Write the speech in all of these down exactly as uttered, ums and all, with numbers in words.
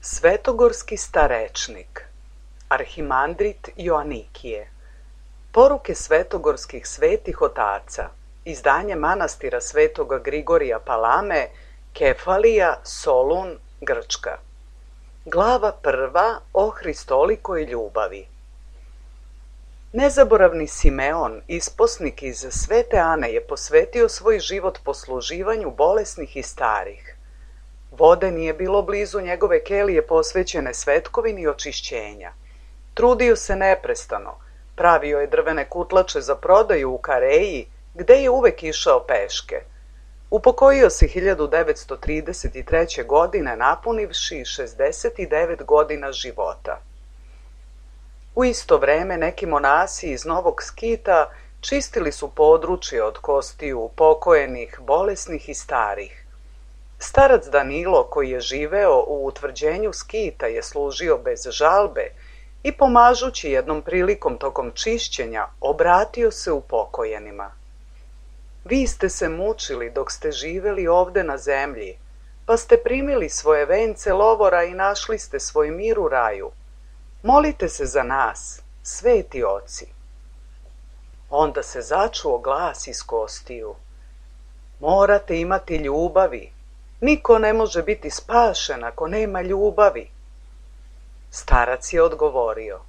Svetogorski starečnik, Arhimandrit Joanikije. Poruke svetogorskih svetih otaca, izdanje manastira Svetoga Grigorija Palame, Kefalija, Solun, Grčka. Glava prva o hristolikoj ljubavi. Nezaboravni Simeon, isposnik iz Svete Ane, je posvetio svoj život posluživanju bolesnih i starih. Vode nije bilo blizu njegove kelije posvećene svetkovini očišćenja. Trudio se neprestano, pravio je drvene kutlače za prodaju u Kareji, gde je uvek išao peške. Upokojio se hiljadu devetsto trideset treće. godine, napunivši šezdeset devet godina života. U isto vreme neki monasi iz Novog Skita čistili su područje od kostiju upokojenih, bolesnih i starih. Starac Danilo, koji je živeo u utvrđenju Skita, je služio bez žalbe i pomažući jednom prilikom tokom čišćenja, obratio se upokojenima. Vi ste se mučili dok ste živeli ovde na zemlji, pa ste primili svoje vence lovora i našli ste svoj mir u raju. Molite se za nas, sveti oci. Onda se začuo glas iz kostiju. Morate imati ljubavi. Niko ne može biti spašen ako nema ljubavi. Starac je odgovorio.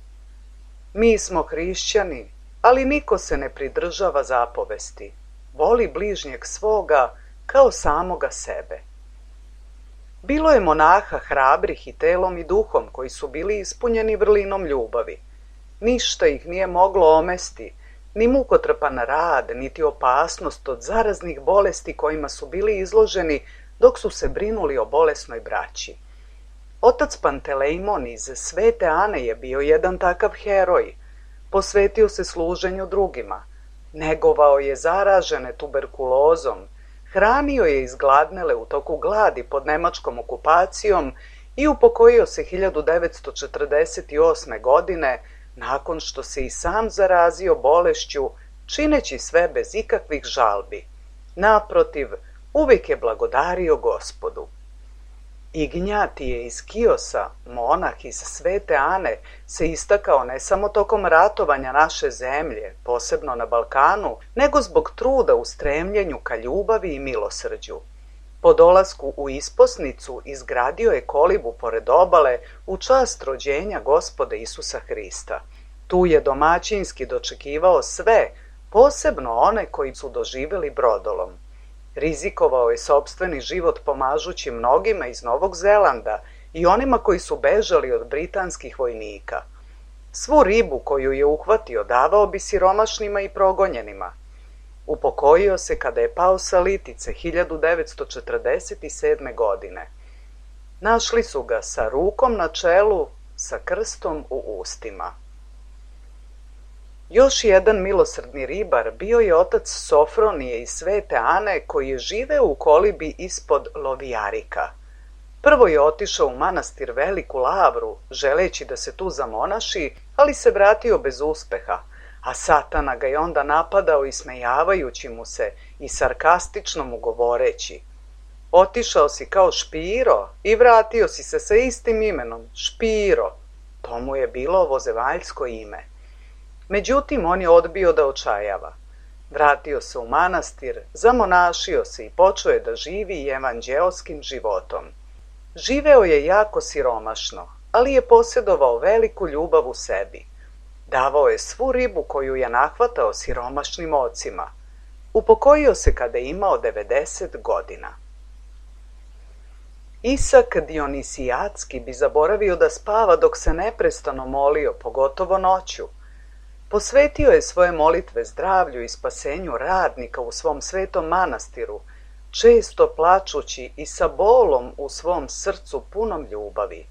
Mi smo hrišćani, ali niko se ne pridržava zapovesti. Voli bližnjeg svoga kao samoga sebe. Bilo je monaha hrabrih i telom i duhom koji su bili ispunjeni vrlinom ljubavi. Ništa ih nije moglo omesti, ni mukotrpan rad, niti opasnost od zaraznih bolesti kojima su bili izloženi dok su se brinuli o bolesnoj braći. Otac Pantelejmon iz Svete Ane je bio jedan takav heroj. Posvetio se služenju drugima. Negovao je zaražene tuberkulozom, hranio je izgladnele u toku gladi pod nemačkom okupacijom i upokojio se hiljadu devetsto četrdeset osme. godine nakon što se i sam zarazio bolešću, čineći sve bez ikakvih žalbi. Naprotiv, uvijek je blagodario Gospodu. Ignjatije iz Kiosa, monah iz Svete Ane, se istakao ne samo tokom ratovanja naše zemlje, posebno na Balkanu, nego zbog truda u stremljenju ka ljubavi i milosrđu. Po dolasku u isposnicu izgradio je kolibu pored obale u čast rođenja Gospoda Isusa Hrista. Tu je domaćinski dočekivao sve, posebno one koji su doživeli brodolom. Rizikovao je sopstveni život pomažući mnogima iz Novog Zelanda i onima koji su bežali od britanskih vojnika. Svu ribu koju je uhvatio davao bi siromašnima i progonjenima. Upokojio se kada je pao sa litice hiljadu devetsto četrdeset sedme. godine. Našli su ga sa rukom na čelu, sa krstom u ustima. Još jedan milosrdni ribar bio je otac Sofronije iz Svete Ane, koji je živeo u kolibi ispod Lovijarika. Prvo je otišao u manastir Veliku Lavru, želeći da se tu zamonaši, ali se vratio bez uspeha, a Satana ga je onda napadao ismejavajući mu se i sarkastično mu govoreći. Otišao si kao Špiro i vratio si se sa istim imenom, Špiro. To mu je bilo ovozevaljsko ime. Međutim, on je odbio da očajava. Vratio se u manastir, zamonašio se i počeo je da živi evanđeoskim životom. Živeo je jako siromašno, ali je posjedovao veliku ljubav u sebi. Davao je svu ribu koju je nahvatao siromašnim ocima. Upokojio se kada je imao devedeset godina. Isak Dionisijatski bi zaboravio da spava dok se neprestano molio, pogotovo noću. Posvetio je svoje molitve zdravlju i spasenju radnika u svom svetom manastiru, često plačući i sa bolom u svom srcu punom ljubavi.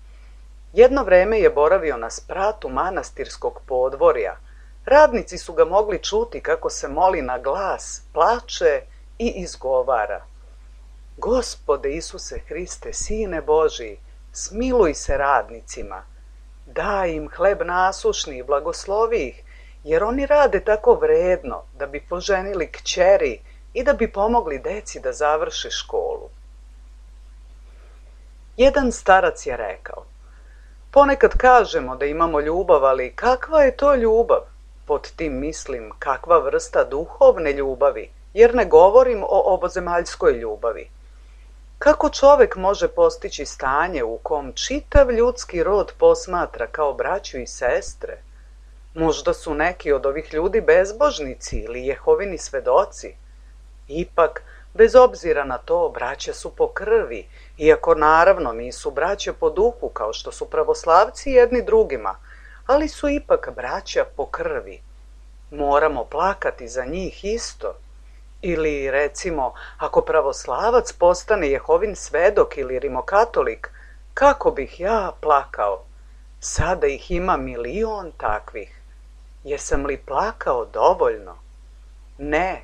Jedno vreme je boravio na spratu manastirskog podvorja. Radnici su ga mogli čuti kako se moli na glas, plače i izgovara. Gospode Isuse Hriste, Sine Božiji, smiluj se radnicima. Daj im hleb nasušni i blagoslovi ih, jer oni rade tako vredno da bi poženili kćeri i da bi pomogli deci da završe školu. Jedan starac je rekao, Ponekad kažemo da imamo ljubav, ali kakva je to ljubav? Pod tim mislim kakva vrsta duhovne ljubavi, jer ne govorim o ovozemaljskoj ljubavi. Kako čovek može postići stanje u kom čitav ljudski rod posmatra kao braću i sestre? Možda su neki od ovih ljudi bezbožnici ili Jehovini svedoci. Ipak, bez obzira na to, braća su po krvi, iako naravno nisu braća po duhu kao što su pravoslavci jedni drugima, ali su ipak braća po krvi. Moramo plakati za njih isto. Ili, recimo, ako pravoslavac postane Jehovin svedok ili rimokatolik, kako bih ja plakao? Sada ih ima milion takvih. Jesam li plakao dovoljno? Ne,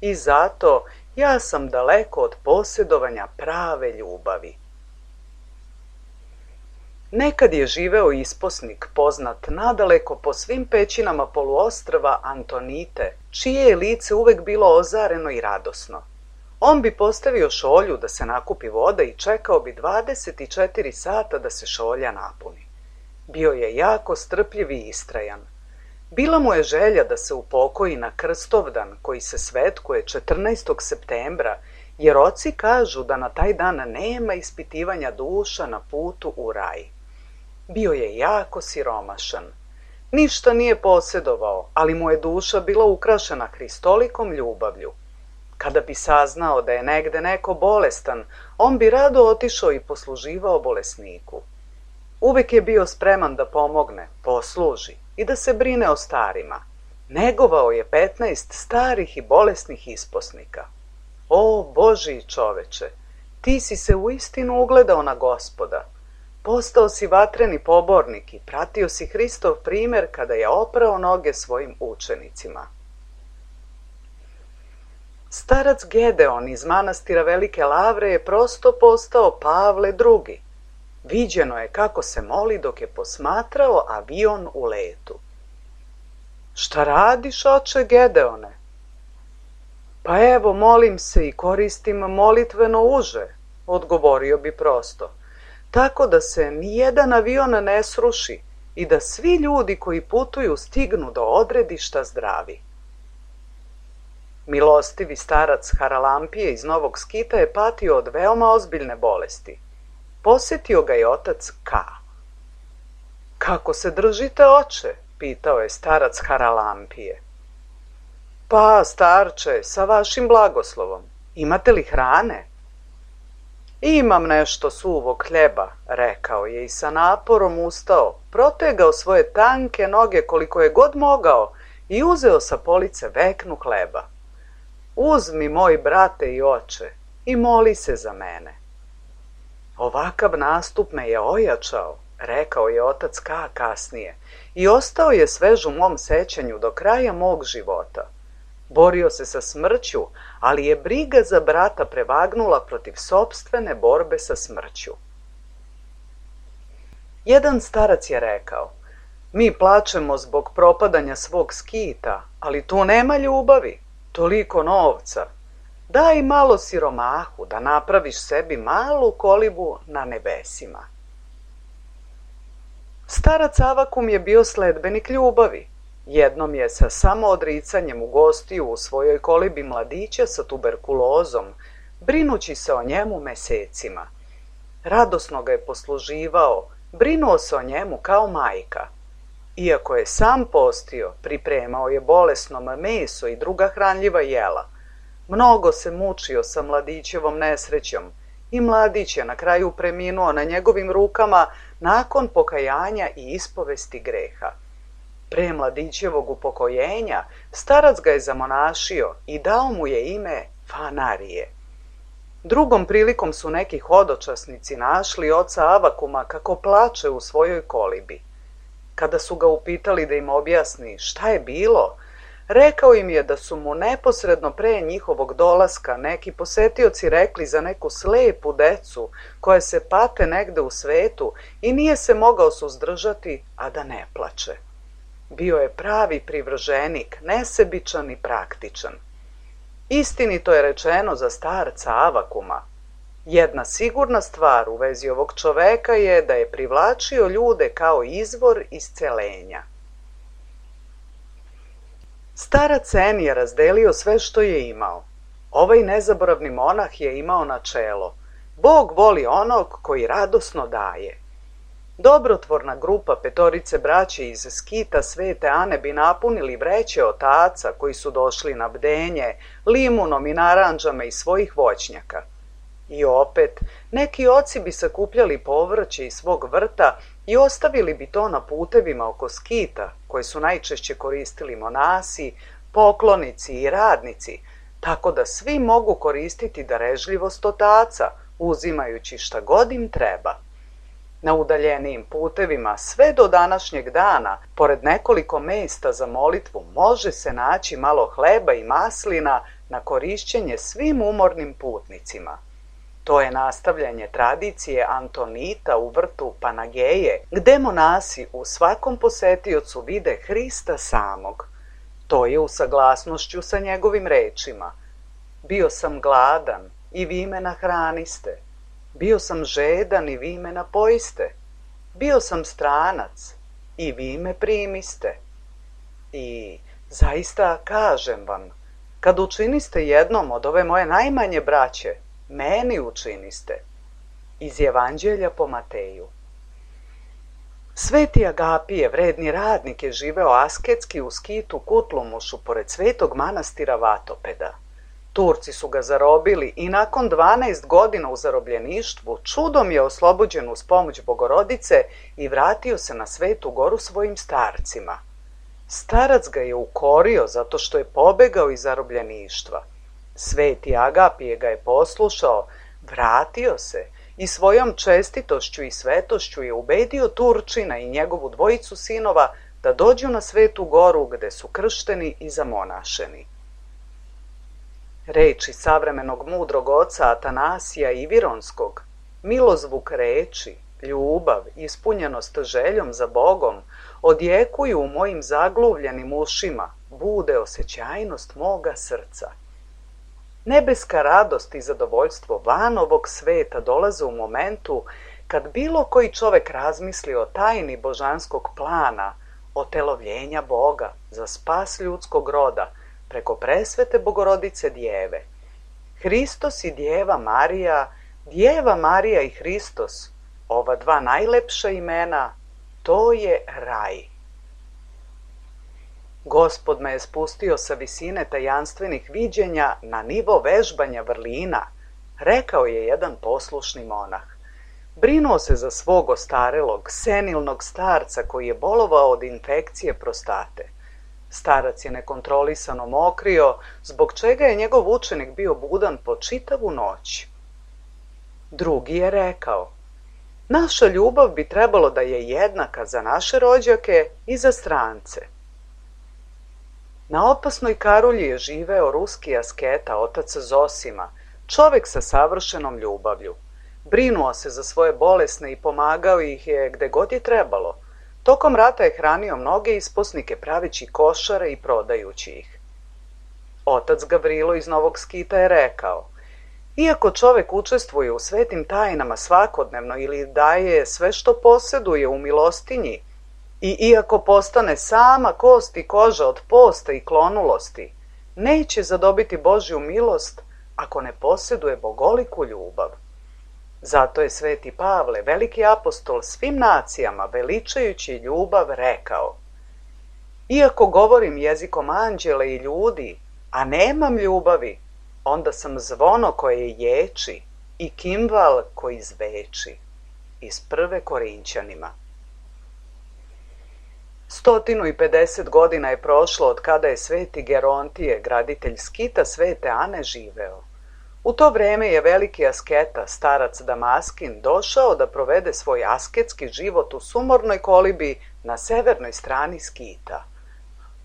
i zato ja sam daleko od posjedovanja prave ljubavi. Nekad je živeo isposnik poznat nadaleko po svim pećinama poluostrva Antonite, čije je lice uvek bilo ozareno i radosno. On bi postavio šolju da se nakupi voda i čekao bi dvadeset četiri sata da se šolja napuni. Bio je jako strpljiv i istrajan. Bila mu je želja da se upokoji na Krstovdan koji se svetkuje četrnaestog septembra, jer oci kažu da na taj dan nema ispitivanja duša na putu u raj. Bio je jako siromašan. Ništa nije posjedovao, ali mu je duša bila ukrašena Hristolikom ljubavlju. Kada bi saznao da je negde neko bolestan, on bi rado otišao i posluživao bolesniku. Uvek je bio spreman da pomogne, posluži i da se brine o starima. Negovao je petnaest starih i bolesnih isposnika. O, Božji čoveče, ti si se uistinu ugledao na Gospoda. Postao si vatreni pobornik i pratio si Hristov primer kada je oprao noge svojim učenicima. Starac Gedeon iz manastira Velike Lavre je prosto postao Pavle drugi. Viđeno je kako se moli dok je posmatrao avion u letu. Šta radiš, oče Gedeone? Pa evo, molim se i koristim molitveno uže, odgovorio bi prosto, tako da se nijedan avion ne sruši i da svi ljudi koji putuju stignu do odredišta zdravi. Milostivi starac Haralampije iz Novog Skita je patio od veoma ozbiljne bolesti. Posjetio ga je otac K. Kako se držite, oče? Pitao je starac Haralampije. Pa, starče, sa vašim blagoslovom. Imate li hrane? Imam nešto suvog hljeba, rekao je i sa naporom ustao, protegao svoje tanke noge koliko je god mogao i uzeo sa police veknu hleba. Uzmi, moj brate i oče, i moli se za mene. Ovakav nastup me je ojačao, rekao je otac K kasnije, i ostao je svež u mom sećanju do kraja mog života. Borio se sa smrću, ali je briga za brata prevagnula protiv sopstvene borbe sa smrću. Jedan starac je rekao, mi plačemo zbog propadanja svog skita, ali tu nema ljubavi, toliko novca. Daj malo siromahu da napraviš sebi malu kolibu na nebesima. Starac Avakum je bio sledbenik ljubavi. Jednom je sa samoodricanjem ugostio u svojoj kolibi mladića sa tuberkulozom, brinući se o njemu mesecima. Radosno ga je posluživao, brinuo se o njemu kao majka. Iako je sam postio, pripremao je bolesnom meso i druga hranljiva jela. Mnogo se mučio sa mladićevom nesrećom i mladić je na kraju preminuo na njegovim rukama nakon pokajanja i ispovesti greha. Pre mladićevog upokojenja starac ga je zamonašio i dao mu je ime Fanarije. Drugom prilikom su neki hodočasnici našli oca Avakuma kako plače u svojoj kolibi. Kada su ga upitali da im objasni šta je bilo, rekao im je da su mu neposredno pre njihovog dolaska neki posetioci rekli za neku slepu decu koja se pate negde u svetu i nije se mogao suzdržati, a da ne plače. Bio je pravi privrženik, nesebičan i praktičan. Istinito je rečeno za starca Avakuma. Jedna sigurna stvar u vezi ovog čoveka je da je privlačio ljude kao izvor iscelenja. Starac En je razdelio sve što je imao. Ovaj nezaboravni monah je imao načelo: Bog voli onog koji radosno daje. Dobrotvorna grupa petorice braće iz skita Svete Ane bi napunili vreće otaca koji su došli na bdenje limunom i naranđama iz svojih voćnjaka. I opet, neki oci bi sakupljali povrće iz svog vrta i ostavili bi to na putevima oko skita, koje su najčešće koristili monasi, poklonici i radnici, tako da svi mogu koristiti darežljivost otaca, uzimajući šta god im treba. Na udaljenijim putevima sve do današnjeg dana, pored nekoliko mesta za molitvu, može se naći malo hleba i maslina na korišćenje svim umornim putnicima. To je nastavljanje tradicije Antonita u vrtu Panageje, gde monasi u svakom posetiocu vide Hrista samog. To je u saglasnošću sa njegovim rečima: Bio sam gladan i vi me nahraniste. Bio sam žedan i vi me napojiste. Bio sam stranac i vi me primiste. I zaista kažem vam, kad učiniste jednom od ove moje najmanje braće, meni učiniste. Iz Evanđelja po Mateju. Sveti Agapije, vredni radnik, je živeo asketski u skitu Kutlumušu pored svetog manastira Vatopeda. Turci su ga zarobili i nakon dvanaest godina u zarobljeništvu čudom je oslobođen uz pomoć Bogorodice i vratio se na Svetu Goru svojim starcima. Starac ga je ukorio zato što je pobegao iz zarobljeništva. Sveti Agapije ga je poslušao, vratio se i svojom čestitošću i svetošću je ubedio Turčina i njegovu dvojicu sinova da dođu na Svetu Goru gde su kršteni i zamonašeni. Reči savremenog mudrog oca Atanasija Ivironskog, milozvuk reči, ljubav, ispunjenost željom za Bogom, odjekuju u mojim zagluvljenim ušima, bude osjećajnost moga srca. Nebeska radost i zadovoljstvo van ovog sveta dolaze u momentu kad bilo koji čovek razmisli o tajni božanskog plana, otelovljenja Boga za spas ljudskog roda, preko presvete Bogorodice Djeve. Hristos i Djeva Marija, Djeva Marija i Hristos, ova dva najlepša imena, to je raj. Gospod me je spustio sa visine tajanstvenih viđenja na nivo vežbanja vrlina, rekao je jedan poslušni monah. Brinuo se za svog ostarelog, senilnog starca koji je bolovao od infekcije prostate. Starac je nekontrolisano mokrio, zbog čega je njegov učenik bio budan po čitavu noć. Drugi je rekao: Naša ljubav bi trebalo da je jednaka za naše rođake i za strance. Na opasnoj Karulji je živeo ruski asketa, otac Zosima, čovek sa savršenom ljubavlju. Brinuo se za svoje bolesne i pomagao ih je gde god je trebalo. Tokom rata je hranio mnoge isposnike praveći košare i prodajući ih. Otac Gavrilo iz Novog Skita je rekao: Iako čovek učestvuje u svetim tajnama svakodnevno ili daje sve što poseduje u milostinji, i iako postane sama kost i koža od posta i klonulosti, neće zadobiti Božju milost ako ne poseduje bogoliku ljubav. Zato je sveti Pavle, veliki apostol svim nacijama, veličajući ljubav, rekao: Iako govorim jezikom anđela i ljudi, a nemam ljubavi, onda sam zvono koje ječi i kimval koji zveči. Iz prve Korinćanima. Stotinu i pedeset godina je prošlo od kada je sveti Gerontije, graditelj skita Svete Ane, živeo. U to vreme je veliki asketa, starac Damaskin, došao da provede svoj asketski život u sumornoj kolibi na severnoj strani skita.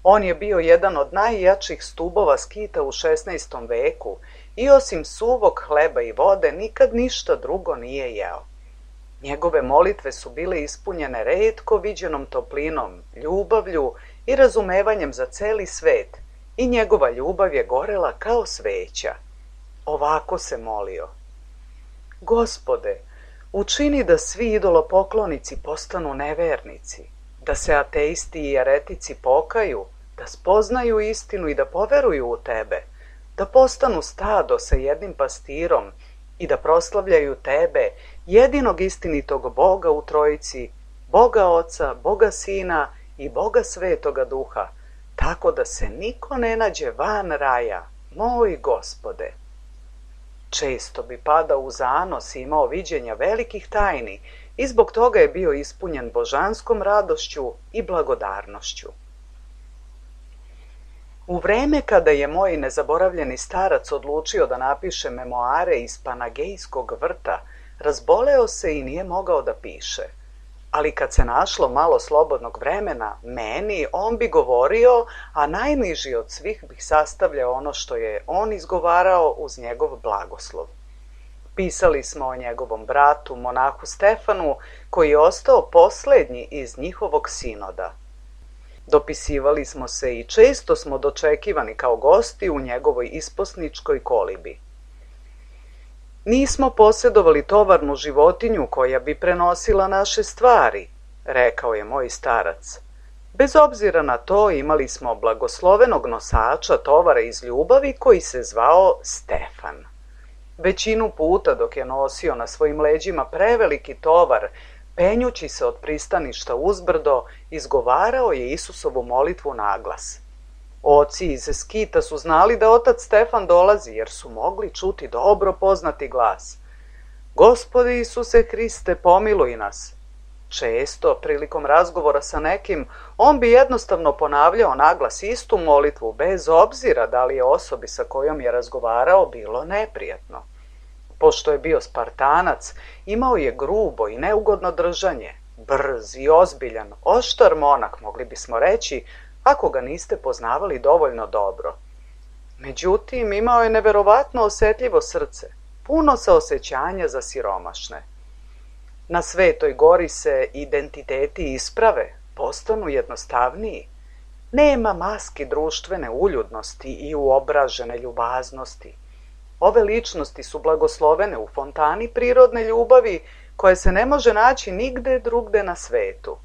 On je bio jedan od najjačih stubova skita u šesnaestom veku i osim suvog hleba i vode nikad ništa drugo nije jeo. Njegove molitve su bile ispunjene retko viđenom toplinom, ljubavlju i razumevanjem za celi svet i njegova ljubav je gorela kao sveća. Ovako se molio: Gospode, učini da svi idolopoklonici postanu nevernici, da se ateisti i eretici pokaju, da spoznaju istinu i da poveruju u Tebe, da postanu stado sa jednim pastirom i da proslavljaju Tebe, jedinog istinitog Boga u Trojici, Boga Oca, Boga Sina i Boga Svetoga Duha, tako da se niko ne nađe van raja, moj Gospode. Često bi padao u zanos i imao viđenja velikih tajni i zbog toga je bio ispunjen božanskom radošću i blagodarnošću. U vreme kada je moj nezaboravljeni starac odlučio da napiše memoare iz Panagejskog vrta, razboleo se i nije mogao da piše. Ali kad se našlo malo slobodnog vremena, meni on bi govorio, a najniži od svih bih sastavljao ono što je on izgovarao uz njegov blagoslov. Pisali smo o njegovom bratu, monahu Stefanu, koji je ostao poslednji iz njihovog sinoda. Dopisivali smo se i često smo dočekivani kao gosti u njegovoj isposničkoj kolibi. Nismo posjedovali tovarnu životinju koja bi prenosila naše stvari, rekao je moj starac. Bez obzira na to imali smo blagoslovenog nosača tovara iz ljubavi koji se zvao Stefan. Većinu puta dok je nosio na svojim leđima preveliki tovar, penjući se od pristaništa uzbrdo, izgovarao je Isusovu molitvu naglas. Oci iz Skita su znali da otac Stefan dolazi, jer su mogli čuti dobro poznati glas. Gospode Isuse Hriste, pomiluj nas. Često, prilikom razgovora sa nekim, on bi jednostavno ponavljao naglas istu molitvu, bez obzira da li je osobi sa kojom je razgovarao bilo neprijatno. Pošto je bio Spartanac, imao je grubo i neugodno držanje, brz i ozbiljan, oštar monak, mogli bismo reći, ako ga niste poznavali dovoljno dobro. Međutim, imao je neverovatno osetljivo srce, puno saosećanja za siromašne. Na Svetoj gori se identiteti isprave, postanu jednostavniji. Nema maski društvene uljudnosti i uobražene ljubaznosti. Ove ličnosti su blagoslovene u fontani prirodne ljubavi koje se ne može naći nigde drugde na svetu.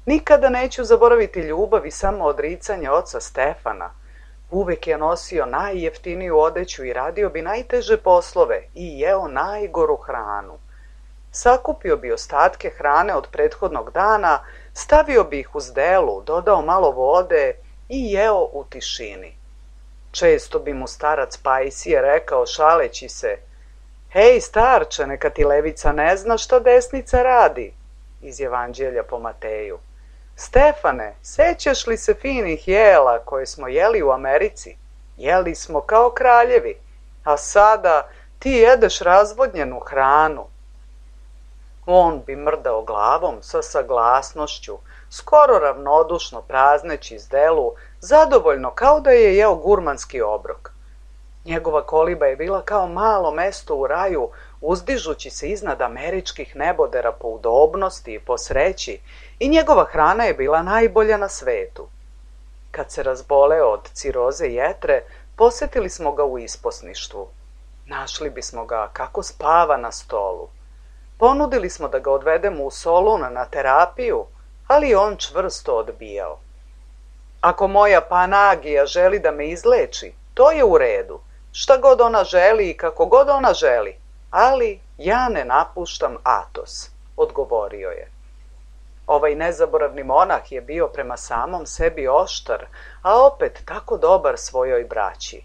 Nikada neću zaboraviti ljubav i samo odricanje oca Stefana. Uvek je nosio najjeftiniju odeću i radio bi najteže poslove i jeo najgoru hranu. Sakupio bi ostatke hrane od prethodnog dana, stavio bi ih u zdelu, dodao malo vode i jeo u tišini. Često bi mu starac Pajsije rekao šaleći se: "Hej, starče, neka ti levica ne zna šta desnica radi", iz Evanđelja po Mateju. "Stefane, sećaš li se finih jela koje smo jeli u Americi? Jeli smo kao kraljevi, a sada ti jedeš razvodnjenu hranu." On bi mrdao glavom sa saglasnošću, skoro ravnodušno prazneći zdelu, zadovoljno kao da je jeo gurmanski obrok. Njegova koliba je bila kao malo mesto u raju, uzdižući se iznad američkih nebodera po udobnosti i po sreći, i njegova hrana je bila najbolja na svetu. Kad se razboleo od ciroze jetre, posetili smo ga u isposništvu. Našli bismo ga kako spava na stolu. Ponudili smo da ga odvedemo u Solun na terapiju, ali on čvrsto odbijao. "Ako moja Panagija želi da me izleči, to je u redu. Šta god ona želi i kako god ona želi, ali ja ne napuštam Atos", odgovorio je. Ovaj nezaboravni monah je bio prema samom sebi oštar, a opet tako dobar svojoj braći.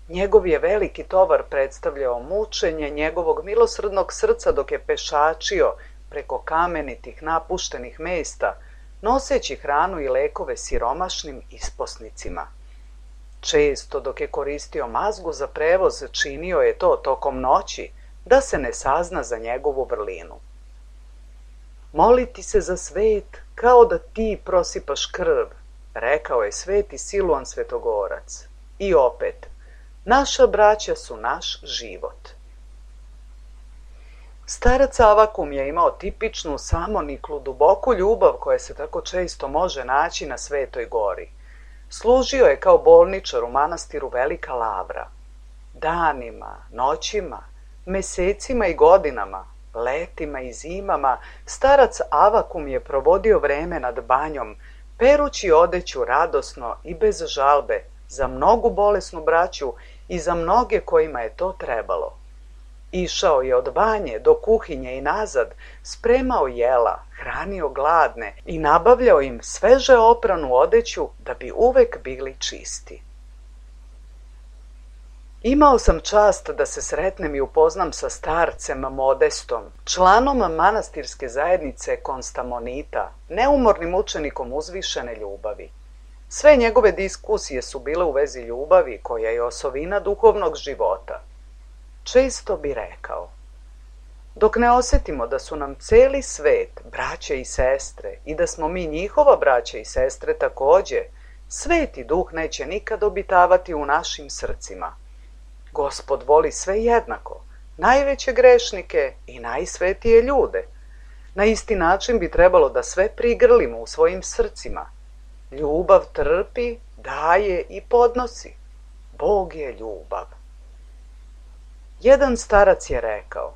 Njegov je veliki tovar predstavljao mučenje njegovog milosrdnog srca dok je pešačio preko kamenitih napuštenih mesta, noseći hranu i lekove siromašnim isposnicima. Često dok je koristio mazgu za prevoz, činio je to tokom noći, da se ne sazna za njegovu vrlinu. "Moliti se za svet kao da ti prosipaš krv", rekao je sveti Siluan Svetogorac. I opet, naša braća su naš život. Starac Avakum je imao tipičnu, samoniklu, duboku ljubav koja se tako često može naći na Svetoj gori. Služio je kao bolničar u manastiru Velika Lavra. Danima, noćima, Mesecima i godinama, letima i zimama, starac Avakum je provodio vreme nad banjom, perući odeću radosno i bez žalbe za mnogu bolesnu braću i za mnoge kojima je to trebalo. Išao je od banje do kuhinje i nazad, spremao jela, hranio gladne i nabavljao im sveže opranu odeću da bi uvek bili čisti. Imao sam čast da se sretnem i upoznam sa starcem Modestom, članom manastirske zajednice Konstamonita, neumornim učenikom uzvišene ljubavi. Sve njegove diskusije su bile u vezi ljubavi, koja je osovina duhovnog života. Često bi rekao: dok ne osjetimo da su nam celi svet braće i sestre i da smo mi njihova braća i sestre takođe, Sveti Duh neće nikad obitavati u našim srcima. Gospod voli sve jednako, najveće grešnike i najsvetije ljude. Na isti način bi trebalo da sve prigrlimo u svojim srcima. Ljubav trpi, daje i podnosi. Bog je ljubav. Jedan starac je rekao: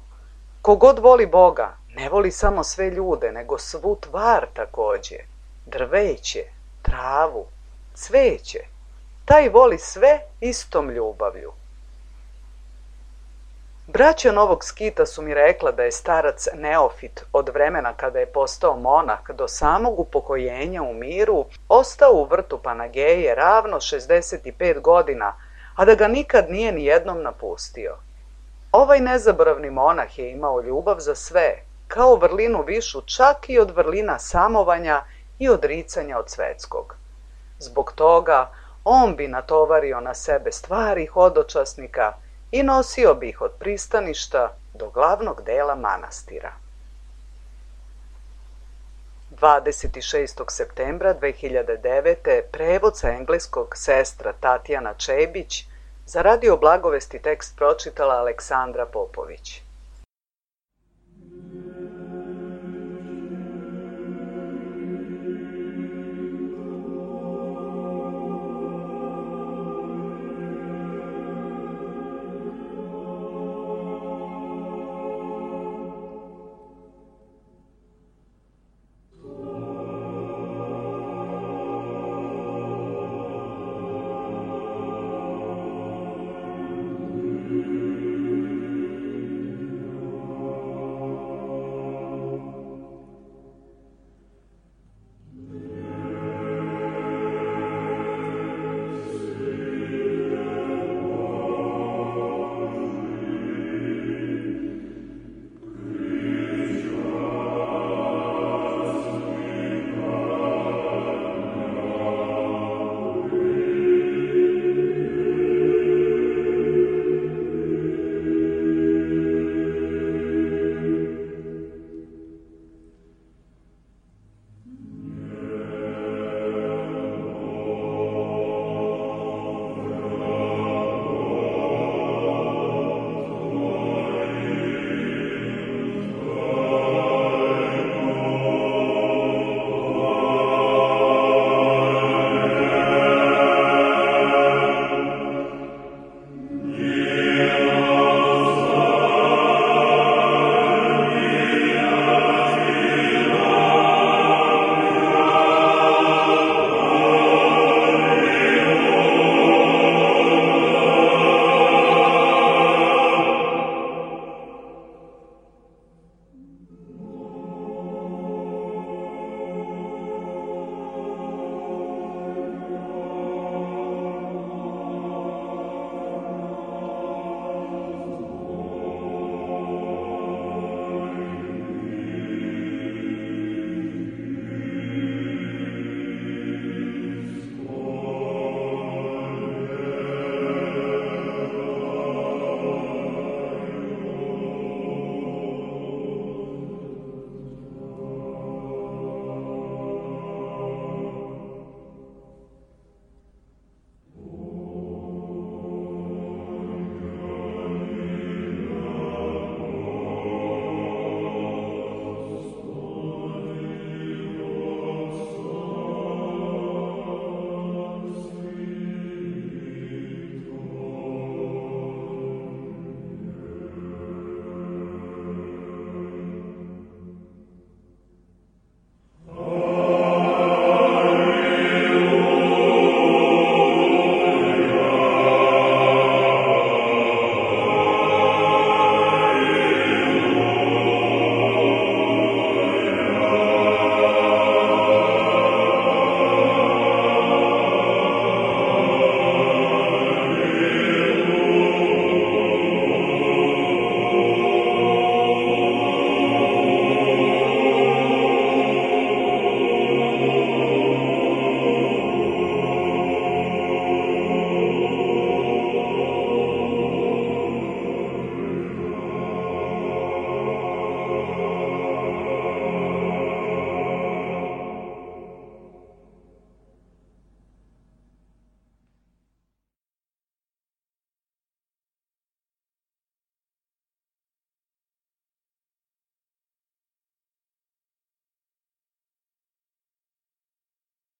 kogod voli Boga, ne voli samo sve ljude, nego svu tvar takođe, drveće, travu, cveće. Taj voli sve istom ljubavlju. Braća Novog Skita su mi rekla da je starac Neofit od vremena kada je postao monah do samog upokojenja u miru ostao u vrtu Panageje ravno šezdeset pet godina, a da ga nikad nije ni jednom napustio. Ovaj nezaboravni monah je imao ljubav za sve, kao vrlinu višu čak i od vrlina samovanja i odricanja od svetskog. Zbog toga on bi natovario na sebe stvari hodočasnika i nosio bi ih od pristaništa do glavnog dela manastira. dvadeset šestog septembra dve hiljade devete. prevod sa engleskog sestra Tatjana Čebić, za Radio Blagovesti tekst pročitala Aleksandra Popović.